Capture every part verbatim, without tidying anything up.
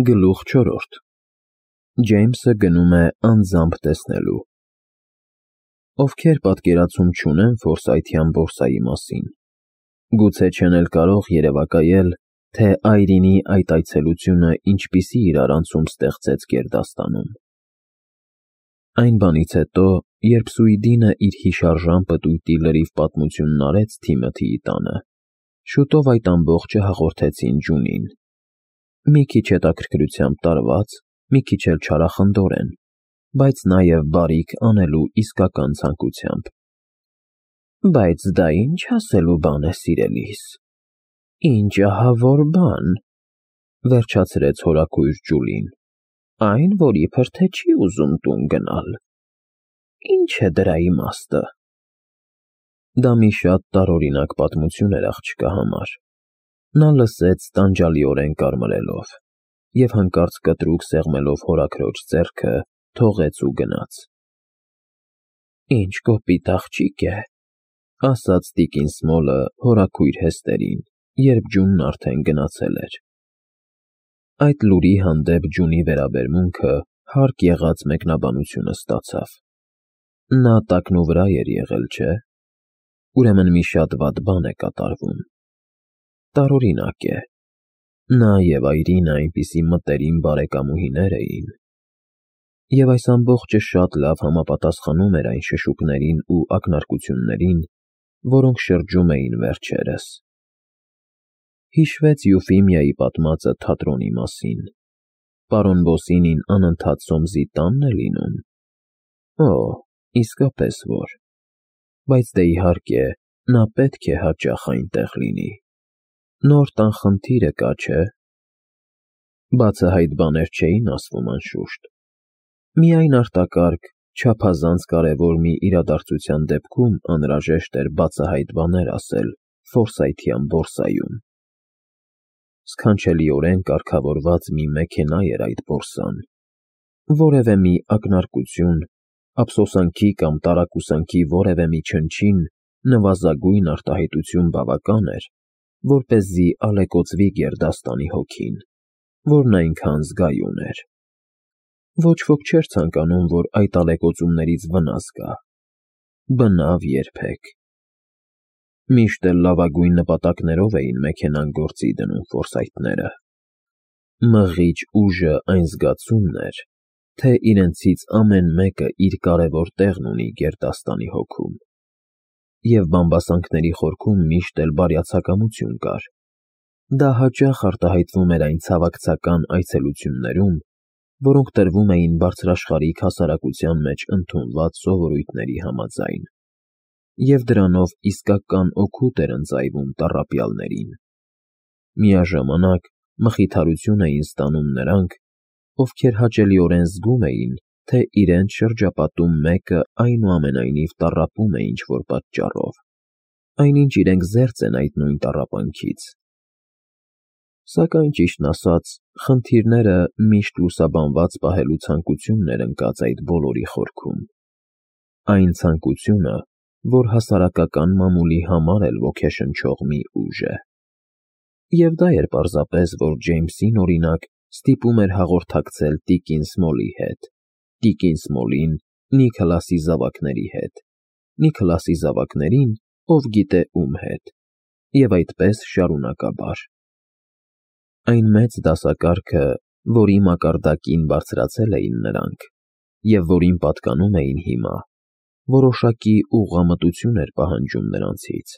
Գլուխ չորրորդ Ջեյմսը գնում է անձամբ տեսնելու։ Ովքեր պատկերացում չունեն Ֆորսայթյան բորսայի մասին, գուցե չեն էլ կարող երևակայել, թե Այրինի այդ այցելությունը ինչպիսի իրարանցում ստեղծեց գերդաստանում։ Այն բանից հետո, երբ Սուիդինը իր հիշարժան պտույտի լրիվ պատմությունն արեց Թիմոթիի տանը, շուտով այդ ամբողջը հաղորդեցին Ջունին։ Մի քիչ հետաքրքրությամբ տարված, մի քիչ էլ չարախնդորեն, բայց նաև բարիք անելու իսկական ցանկությամբ։ Բայց դա ինչ ասելու բան է, սիրելիս, ինչ ահավոր բան, վերջացրեց հորաքույր Ջուլին, այն, որ իբր թե չի ուզում տուն գնալ։ Ինչ է դրա իմաստը։ Դա մի շատ տարօրինակ պատմություն էր աղջկա համար։ Նա լսեց տանջալիորեն կարմրելով և հանկարծ կտրուկ սեղմելով հորաքրոջ ձեռքը, թողեց ու գնաց։ Ինչ կոպիտ աղջիկ է, ասաց տիկին Սմոլը հորաքույր Հեստերին, երբ Ջունն արդեն գնացել էր։ Այդ լուրի հանդեպ Ջունի վերաբերմունքը հարկ եղած մեկնաբանությունը ստացավ։ Նա տակնուվրա էր եղել, չէ՞։ Ուրեմն մի շատ վատ բան է կատարվում։ Տարօրինակ է։ Նա և Այրինը այնպիսի մտերիմ բարեկամուհիներ էին։ Եվ այս ամբողջը շատ լավ համապատասխանում էր այն շշուկներին ու ակնարկություններին, որոնք շրջում էին վերջերս։ Հիշվեց Յուֆիմիայի պատմածը թատրոնի մասին։ Պարոն Բոսինին անընդհատ Սոմսի տա՞նն է լինում։ Օ, իսկապես որ։ Բայց դե իհարկե, նա պետք է հաճախ այնտեղ լինի։ Նոր տան խնդիրը կա, չէ՞։ Բացահայտ բաներ չէին ասվում, անշուշտ։ Միայն արտակարգ, չափազանց կարևոր մի իրադարձության դեպքում անհրաժեշտ էր բացահայտ բաներ ասել Ֆորսայթյան բորսայում։ Սքանչելիորեն կարգավորված մի մեքենա էր այդ բորսան։ Որևէ մի ակնարկություն, ափսոսանքի կամ տարակուսանքի որևէ մի չնչին, նվազագույն արտահայտություն բավական էր, որպեսզի ալեկոծվի գերդաստանի հոգին, որն այնքան զգայուն էր։ Ոչ ոք չէր ցանկանում, որ այդ ալեկոծումներից վնաս գա։ Բնավ երբեք։ Միշտ էլ լավագույն նպատակներով էին մեքենան գործի դնում Ֆորսայթները։ Մղիչ ուժը այն զգացումն էր, թե իրենցից ամեն մեկը իր կարևոր տեղն ունի գերդաստանի հոգում։ Եվ բամբասանքների խորքում միշտ էլ բարյացակամություն կար։ Դա հաճախ արտահայտվում էր այն ցավակցական այցելություններում, որոնք տրվում էին բարձրաշխարհիկ հասարակության մեջ ընդունված սովորույթների համաձայն, և դրանով իսկական օգուտ էր ընծայվում տառապյալներին։ Միաժամանակ մխիթարություն էին ստանում նրանք, ովքեր հաճելիորեն զգում էին, թե իրենց շրջապատում մեկը այնուամենայնիվ տառապում է ինչ-որ պատճառով, այնինչ իրենք զերծ են այդ նույն տառապանքից։ Սակայն, ճիշտն ասած, խնդիրները միշտ լուսաբանված պահելու ցանկությունն էր ընկած այդ բոլորի խորքում։ Այն ցանկությունը, որ հասարակական մամուլի համար էլ ոգեշնչող մի ուժ է։ Եվ դա էր պարզապես, որ Ջեյմսին, օրինակ, ստիպում էր հաղորդակցել տիկին Սմոլի հետ, տիկին Սմոլին Նիքլասի զավակների հետ, Նիքլասի զավակներին ով գիտե ում հետ, և այդպես շարունակաբար։ Այն մեծ դասակարգը, որի մակարդակին բարձրացել էին նրանք, և որին պատկանում էին հիմա, որոշակի ուղղամտություն էր պահանջում նրանցից,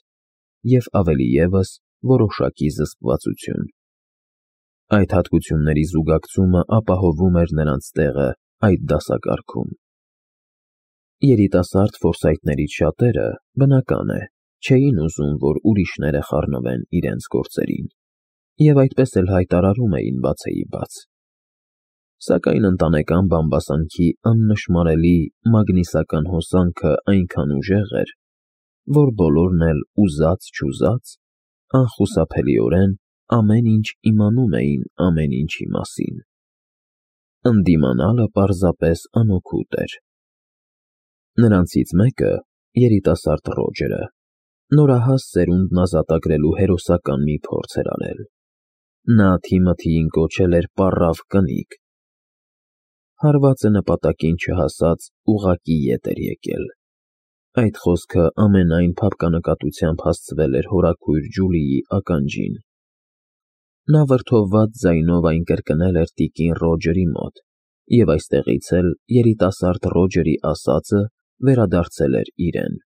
և ավելի ևս որոշակի զսպվածություն։ Այդ հատկությունների զուգակցումը ապահովում էր նրանց տեղը այդ դասակարգում։ Երիտասարդ Ֆորսայթներից շատերը, բնական է, չէին ուզում, որ ուրիշները խառնվեն իրենց գործերին, և այդպես էլ հայտարարում էին բացեիբաց։ Սակայն ընտանեկան բամբասանքի աննշմարելի մագնիսական հոսանքը այնքան ուժեղ էր, որ բոլորն էլ ուզած-չուզած, անխուսափելիորեն ամեն ինչ իմանում էին ամեն ինչի մասին։ Ընդդիմանալը պարզապես անօգուտ էր։ Նրանցից մեկը, երիտասարդ Ռոջերը, նորահաս սերունդն ազատագրելու հերոսական մի փորձ էր արել։ Նա Թիմոթիին կոչել էր պառավ կնիկ։ Հարվածը նպատակին չհասած ուղղակի ետ էր եկել։ Այդ խոսքը ամենայն փափկանակատությամբ հասցվել էր հորաքույր Ջուլիի ականջին։ Նա վրդովված ձայնով այն կրկնել էր տիկին Ռոջերի մոտ, և այստեղից էլ երիտասարդ Ռոջերի ասածը վերադարձել էր իրեն։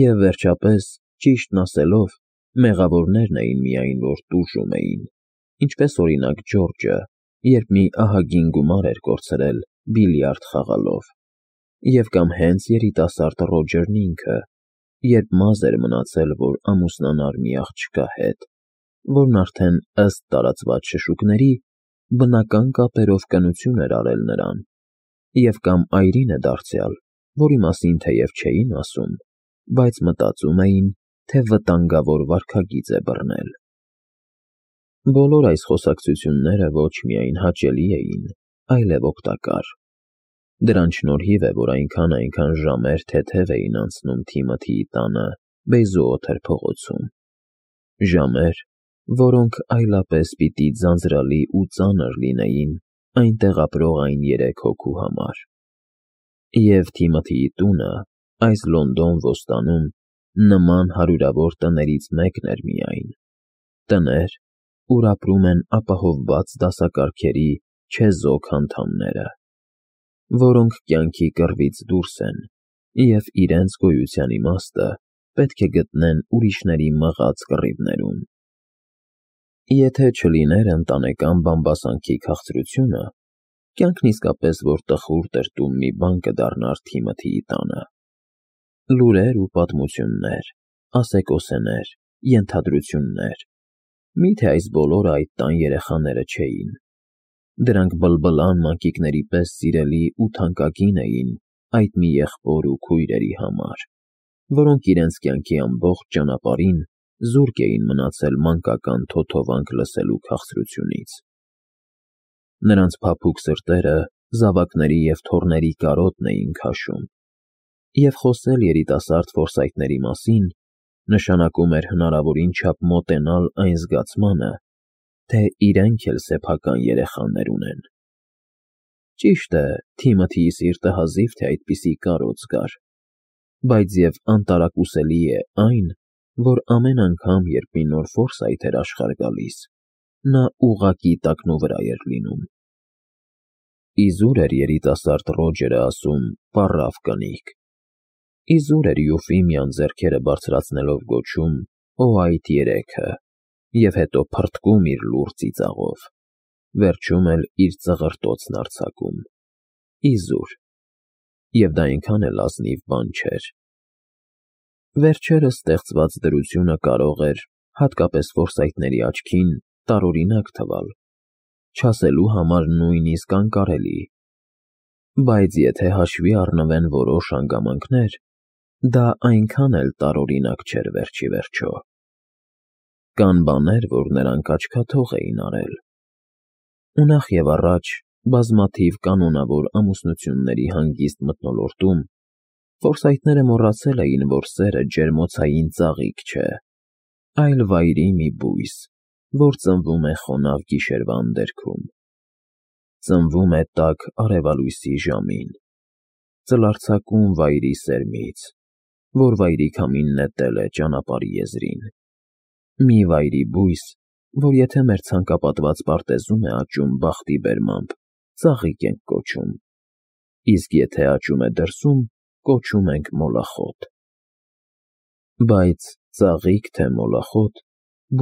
Եվ վերջապես, ճիշտն ասելով, մեղավորներն էին միայն, որ տուժում էին, ինչպես օրինակ Ջորջը, երբ մի ահագին գումար էր կորցրել բիլիարդ խաղալով, և կամ հենց երիտասարդ Ռոջերն ինքը, երբ մազ էր մնացել, որ ամուսնանար մի աղջկա հետ, որն արդեն, ըստ տարածված շշուկների, բնական կապերով կնություն էր արել նրան, և կամ այրինը դարձյալ, որի մասին թեև չէին ասում, բայց մտածում էին, թե վտանգավոր վարքագիծ է բռնել։ Բոլոր այս խոսակցությունները ոչ միայն հաճելի էին, այլև օգտակար։ Դրանց շնորհիվ է, որ այնքան-այնքան ժամեր թեթև էին անցնում Թիմոթիի տանը Բեյզուոթեր փողոցում, ժամեր, որոնք այլապես պիտի ձանձրալի ու ծանր լինեին այնտեղ ապրող այն երեք հոգու համար։ Եվ Թիմոթիի տունը այս Լոնդոն ոստանում նման հարյուրավոր տներից մեկն էր միայն, տներ, ուր ապրում են ապահովված դասակարգերի չեզոք անդամները, որոնք կյանքի կռվից դուրս են և իրենց գոյության իմաստը պետք է գտնեն ուրիշների մղած կռիվներում։ Եթե չլիներ ընտանեկան բամբասանքի քաղցրությունը, կյանքն իսկապես որ տխուր տրտում մի բան կդառնար Թիմոթիի տանը։ Լուրեր ու պատմություններ, ասեկոսեներ, ենթադրություններ, միթե այս բոլորը այդ տան երեխաները չէին։ Դրանք բլբլան մանկիկների պես սիրելի ու թանկագին էին այդ մի եղբոր ու քույրերի համար, որոնք իրենց կյանքի ամբողջ ճանապարհին զուրկ էին մնացել մանկական թոթովանք լսելու քաղցրությունից։ Նրանց փափուկ սրտերը զավակների և թոռների կարոտն էին քաշում, և խոսել երիտասարդ ֆորսայթների մասին նշանակում էր հնարավորին չափ մոտենալ այն զգացմանը, թե իրենք էլ սեփական երեխաներ ունեն։ Ճիշտ է, Թիմոթիի սիրտը հազիվ թե այդպիսի կարոտ զգար, բայց և անտարակուսելի է այն, որ ամեն անգամ, երբ մի նոր Ֆորսայթ էր աշխարհ գալիս, նա ուղղակի տակնուվրա էր լինում։ Իզուր էր երիտասարդ Ռոջերը ասում պառավ կնիկ։ Իզուր էր Յուֆիմիան ձեռքերը բարձրացնելով գոչում «Օ այդ երեքը» և հետո փռթկում իր լուռ ծիծաղով, վերջում էլ իր ծղրտոցն արձակում։ Իզուր։ Եվ դա այնքան էլ ազնիվ բան չէր։ Վերջերս ստեղծված դրությունը կարող էր, հատկապես ֆորսայթների աչքին, տարօրինակ թվալ, չասելու համար նույնիսկ անկարելի։ Բայց եթե հաշվի առնվեն որոշ հանգամանքներ, դա այնքան էլ տարօրինակ չէր վերջիվերջո։ Կան բաներ, որ նրանք աչքաթող էին արել։ Ու նախ և առաջ, բազմաթիվ կանոնավոր ամուսնությունների հանգիստ մթնոլորտում ֆորսայթները մոռացել էին, որ սերը ջերմոցային ծաղիկ չէ, այլ վայրի մի բույս, որ ծնվում է խոնավ գիշերվա անդերքում։ Ծնվում է տաք արևալույսի ժամին, ծլարձակում վայրի սերմից, որ վայրի քամին նետել է ճանապարհի եզրին։ Մի վայրի բույս, որ եթե մեր ցանկապատված պարտեզում է աճում բախտի բերմամբ, ծաղիկ ենք կոչում, իսկ եթե աճում է դրսում, կոչում ենք մոլախոտ։ Բայց ծաղիկ թե մոլախոտ,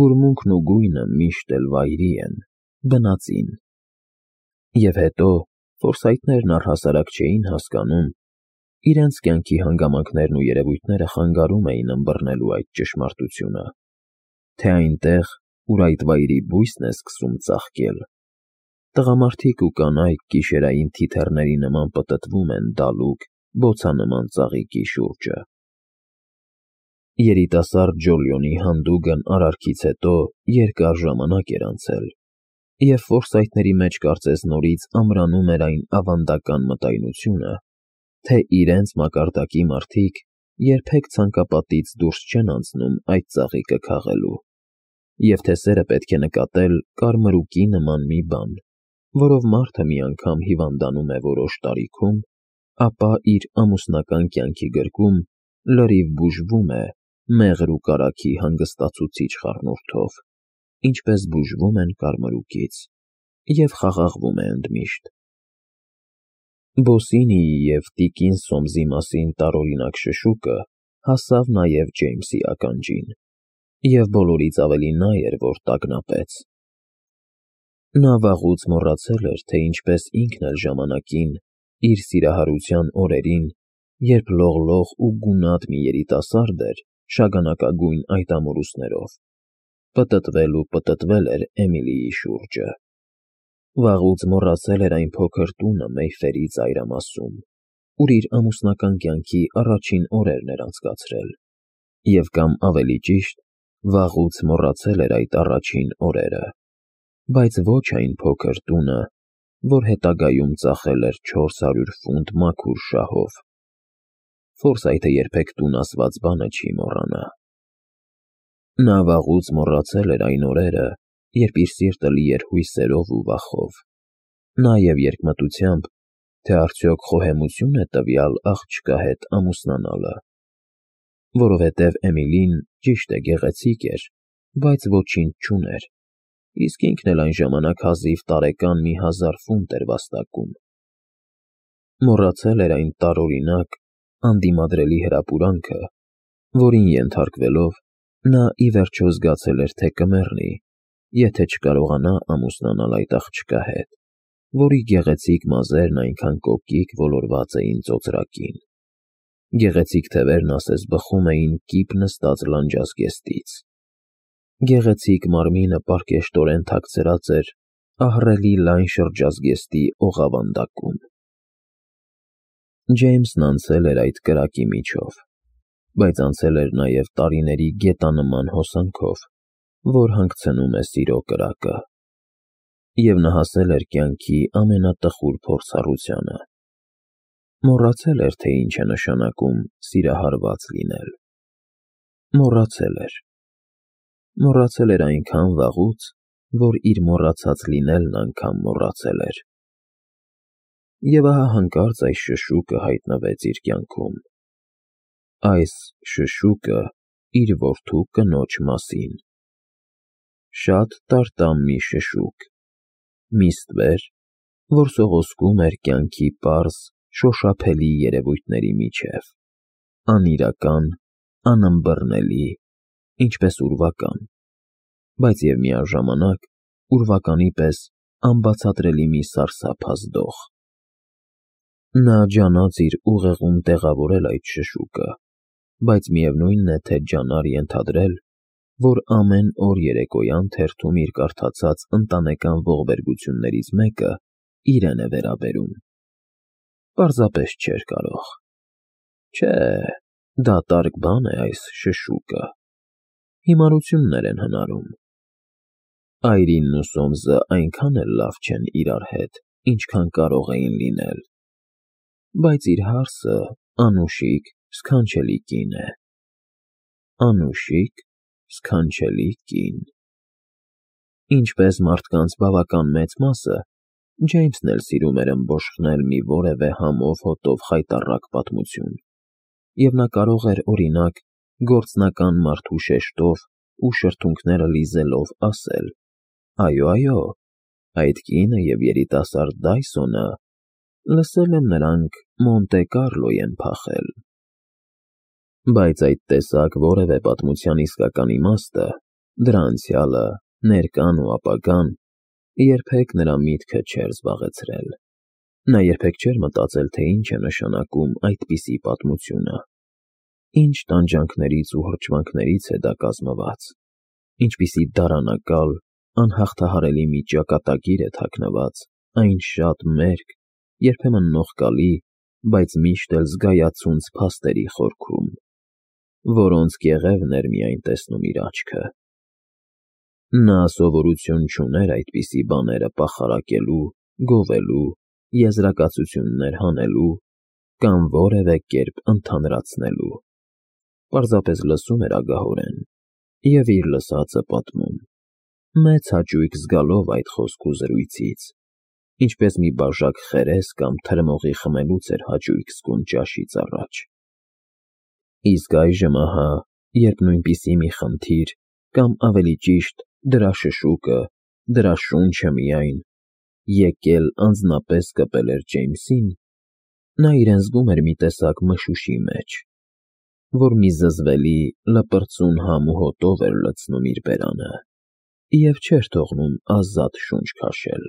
բուրմունքն ու գույնը միշտ էլ վայրի են, բնածին։ Եվ հետո ֆորսայթներն առհասարակ չէին հասկանում, իրենց կյանքի հանգամանքներն ու երևույթները խանգարում էին ըմբռնելու այդ ճշմարտությունը, թե այնտեղ, ուր այդ վայրի բույսն է սկսում ծաղկել, տղամարդիկ ու կանայք գիշերային թիթեռների նման պտտվում են դալուկ, բոցանման ծաղիկի շուրջը։ Երիտասարդ Ջոլիոնի հանդուգն արարքից հետո երկար ժամանակ էր անցել, և ֆորսայթների մեջ կարծես նորից ամրանում էր այն ավանդական մտայնությունը, թե իրենց մակարդակի մարդիկ երբեք ցանկապատից դուրս չեն անցնում այդ ծաղիկը քաղելու, Եվ թե սերը պետք է նկատել կարմրուկի նման մի բան, որով մարդը մի անգամ հիվանդանում է որոշ տարիքում, ապա իր ամուսնական կյանքի գրկում լրիվ բուժվում է մեղր ու կարագի հանգստացուցիչ խառնուրդով, ինչպես բուժվում են կարմրուկից, և խաղաղվում է ընդմիշտ։ Բոսինիի և տիկին Սոմսի մասին տարօրինակ շշուկը հասավ նաև Ջեյմսի ականջին, և բոլորից ավելի նա էր, որ տագնապեց։ Նա վաղուց մոռացել էր, թե ինչպես ինքն էլ ժամանակին, իր սիրահարության օրերին, երբ լողլող ու գունատ մի երիտասարդ էր շագանակագույն այդ ամորուսներով, պտտվել ու պտտվել էր Էմիլիի շուրջը։ Վաղուց մոռացել էր այն փոքր տունը Մեյֆերի ծայրամասում, ուր իր ամուսնական կյանքի առաջին օրերն էր անցկացրել, և կամ ավելի ճիշտ, վաղուց մոռացել էր այդ առաջին օրերը, բայց ոչ այն փոքր տունը, որ հետագայում ծախել էր չորս հարյուր ֆունտ մաքուր շահով։ Ֆորսայթը երբեք տուն ասված բանը չի մոռանա։ Նա վաղուց մոռացել էր այն օրերը, երբ իր սիրտը լի էր հույսերով ու վախով, նաև երկմտությամբ, թե արդյոք խոհեմությո՞ւն է տվյալ աղջկա հետ ամուսնանալը, որովհետև Էմիլին, ճիշտ է, գեղեցիկ էր, բայց ոչինչ չուներ, իսկ ինքն էլ այն ժամանակ հազիվ տարեկան մի հազար ֆունտ էր վաստակում։ Մոռացել էր այն տարօրինակ, անդիմադրելի հրապուրանքը, որին ենթարկվելով, նա ի վերջո զգացել էր, թե կմեռնի, եթե չկարողանա ամուսնանալ այդ աղջկա հետ, որի գեղեցիկ մազերն այնքան կոկիկ ոլորված էին ծոծրակին։ Գեղեցիկ թևերն ասես բխում էին կիպ նստած լանջազգեստից։ Գեղեցիկ մարմինը պարկեշտորեն թաքցրած էր ահռելի լայն շրջազգեստի օղավանդակում։ Ջեյմսն անցել էր այդ կրակի միջով, բայց անցել էր նաև տարիների գետանման հոսանքով, որ հանգցնում է սիրո կրակը, և նա հասել էր կյանքի ամենատխուր փորձառությանը։ Մոռացել էր, թե ինչ է նշանակում սիրահարված լինել։ Մոռացել էր։ Մոռացել էր այնքան վաղուց, որ իր մոռացած լինելն անգամ մոռացել էր։ Եվ ահա հանկարծ այս շշուկը հայտնվեց իր կյանքում։ Այս շշուկը իր որդու կնոջ մասին։ Շատ տարտամ մի շշուկ, մի ստվեր, որ սողոսկում էր կյանքի պարզ, շոշափելի երևույթների միջև, անիրական, անըմբռնելի, ինչպես ուրվական, բայց և միաժամանակ ուրվականի պես անբացատրելի մի սարսափազդող։ Նա ջանաց իր ուղեղում տեղավորել այդ շշուկը, բայց միևնույն է, թե ջանար ենթադրել, որ ամեն օր երեկոյան թերթում իր կարդացած ընտանեկան ողբերգություններից մեկը իրեն է վերաբերում։ Պարզապես չէր կարող։ Չէ, դատարկ բան է այս շշուկը։ Հիմարություններ են հնարում։ Այրինն ու Սոմսը այնքան էլ լավ չեն իրար հետ, ինչքան կարող էին լինել, բայց իր հարսը անուշիկ, սքանչելի կին է։ Անուշիկ, սքանչելի կին։ Ինչպես մարդկանց բավական մեծ մասը, Ջեյմսն էլ սիրում էր ըմբոշխնել մի որևէ համով հոտով խայտառակ պատմություն, և նա կարող էր, օրինակ, գործնական մարդու շեշտով ու շրթունքները լիզելով ասել. «Այո, այո, այդ կինը և երիտասարդ Դայսոնը, լսել եմ, նրանք Մոնտե Կառլո են փախել»։ Բայց այդ տեսակ որևէ պատմության իսկական իմաստը, դրա անցյալը, ներկան ու ապագան, երբեք նրա միտքը չէր զբաղեցրել։ Նա երբեք չէր մտածել, թե ինչ է նշանակում այդպիսի պատմությունը, ինչ տանջանքներից ու հրճվանքներից է դա կազմված, ինչպիսի դարանակալ, անհաղթահարելի մի ճակատագիր է թաքնված այն շատ մերկ, երբեմն նողկալի, բայց միշտ էլ զգայացունց փաստերի խորքում, որոնց կեղևն էր միայն տեսնում իր աչքը։ Նա սովորություն չուներ այդպիսի բաները պախարակելու, գովելու, եզրակացություններ հանելու կամ որևէ կերպ ընդհանրացնելու։ Պարզապես լսում էր ագահորեն, և իր լսածը պատմում, մեծ հաճույք զգալով այդ խոսք ու զրույցից, ինչպես մի բաժակ խերես կամ թրմողի խմելուց էր հաճույք զգում ճաշից առաջ։ Իսկ այժմ ահա, երբ նույնպիսի մի խնդիր, կամ ավելի ճիշտ, դրա շշուկը, դրա շունչը միայն, եկել անձնապես կպել էր Ջեյմսին, նա իրեն զգում էր մի տեսակ մշուշի մեջ, որ մի զզվելի, լպրծուն համ ու հոտով էր լցնում իր բերանը և չէր թողնում ազատ շունչ քաշել։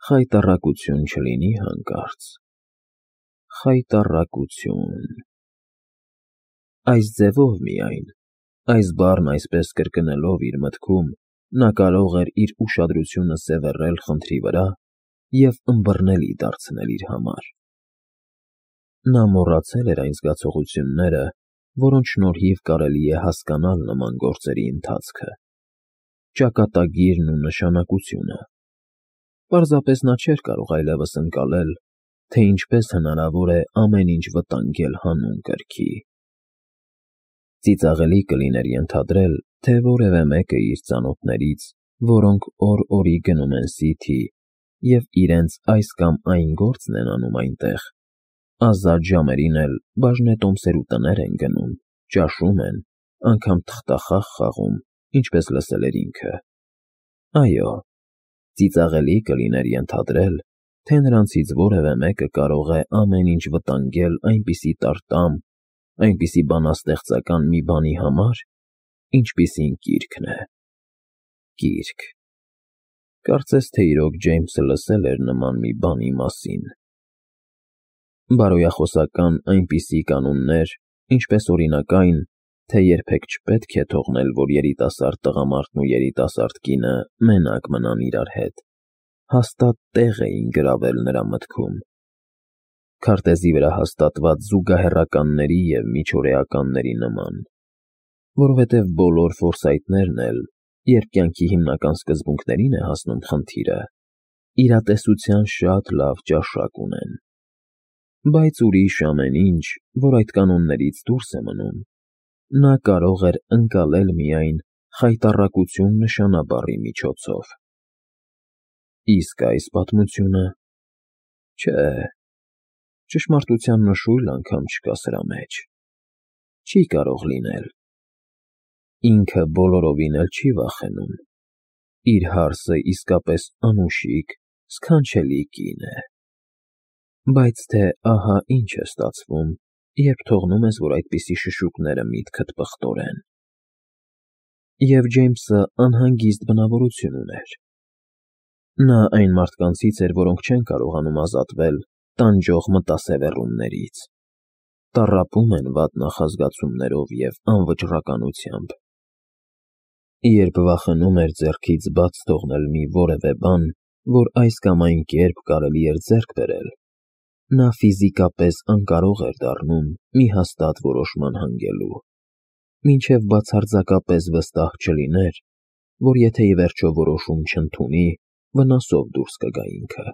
Խայտառակություն չլինի հանկարծ, խայտառակություն… Այս ձևով միայն, այս բառն այսպես կրկնելով իր մտքում, նա կարող էր իր ուշադրությունը սևեռել խնդրի վրա և ըմբռնելի դարձնել իր համար։ Նա մոռացել էր այն զգացողությունները, որոնց շնորհիվ կարելի է հասկանալ նման գործերի ընթացքը, ճակատագիրն ու նշանակությունը։ Պարզապես նա չէր կարող այլևս ընկալել, թե ինչպես հնարավոր է ամեն ինչ վտանգել հանուն կրքի։ Ծիծաղելի կլիներ ենթադրել, թե որևէ մեկը իր ծանոթներից, որոնք օր֊օրի գնում են Սիթի և իրենց այս կամ այն գործն են անում այնտեղ, ազատ ժամերին էլ բաժնետոմսեր ու տներ են գնում, ճաշում են, անգամ թղթախաղ խաղում, ինչպես լսել էր ինքը։ Այո, ծիծաղելի կլիներ ենթադրել, թե նրանցից որևէ մեկը կարող է ամեն ինչ վտանգել այնպիսի տարտամ, այնպիսի բանաստեղծական մի բանի համար, ինչպիսին կիրքն է։ Կիրք… Կարծես թե իրոք Ջեյմսը լսել էր նման մի բանի մասին։ Բարոյախոսական այնպիսի կանոններ, ինչպես օրինակ այն, թե երբեք չպետք է թողնել, որ երիտասարդ տղամարդն ու երիտասարդ կինը մենակ մնան իրար հետ, հաստատ տեղ էին գրավել նրա մտքում։ Քարտեզի վրա հաստատված զուգահեռականների և միջօրեականների նման, որովհետև բոլոր ֆորսայթներն էլ, երբ կյանքի հիմնական սկզբունքներին է հասնում խնդիրը, իրատեսության շատ լավ ճաշակ ունեն։ Բայց ուրիշ ամեն ինչ, որ այդ կանոններից դուրս է մնում, նա կարող էր ընկալել միայն խայտառակություն նշանաբառի միջոցով։ Իսկ այս պատմությունը… Չէ, ճշմարտության նշույլ անգամ չկա սրա մեջ։ Չի կարող լինել։ Ինքը բոլորովին էլ չի վախենում։ Իր հարսը իսկապես անուշիկ, սքանչելի կին է։ Բայց թե ահա ինչ է ստացվում, երբ թողնում ես, որ այդպիսի շշուկները միտքդ պղտորեն։ Եվ Ջեյմսը անհանգիստ բնավորություն ուներ։ Նա այն մարդկանցից էր, որոնք չեն կարողանում ազատվել տանջող մտասևեռումներից, տառապում են վատ նախազգացումներով և անվճռականությամբ։ Երբ վախենում էր ձեռքից բաց թողնել մի որևէ բան, որ այս կամ այն կերպ կարելի էր ձեռք բերել, նա ֆիզիկապես անկարող էր դառնում մի հաստատ որոշման հանգելու, մինչև բացարձակապես վստահ չլիներ, որ եթե ի վերջո որոշում չընդունի, վնասով դուրս կգա ինքը։